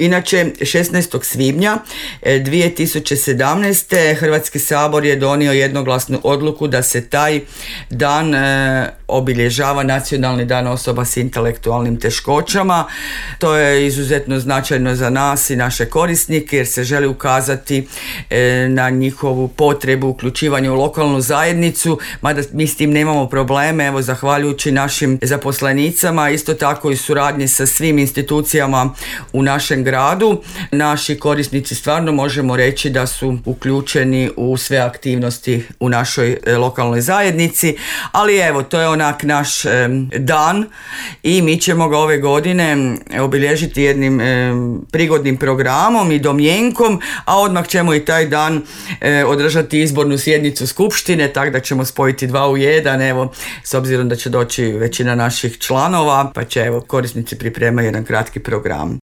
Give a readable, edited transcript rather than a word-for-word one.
Inače, 16. svibnja 2017. Hrvatski sabor je donio jednoglasnu odluku da se taj dan obilježava Nacionalni dan osoba s intelektualnim teškoćama. To je izuzetno značajno za nas i naše korisnike jer se želi ukazati na njihovu potrebu uključivanja u lokalnu zajednicu, mada mi s tim nemamo probleme, evo zahvaljujući našim zaposlenicama, isto tako i suradnji sa svim institucijama u našem gradu. Naši korisnici stvarno možemo reći da su uključeni u sve aktivnosti u našoj lokalnoj zajednici, ali evo, to je onak naš dan i mi ćemo ga ove godine obilježiti jednim prigodnim programom i domjenkom, a odmah ćemo i taj dan održati izbornu sjednicu skupštine, tako da ćemo spojiti 2 u 1, evo, s obzirom da će doći većina naših članova, pa će evo korisnici pripremaju jedan kratki program.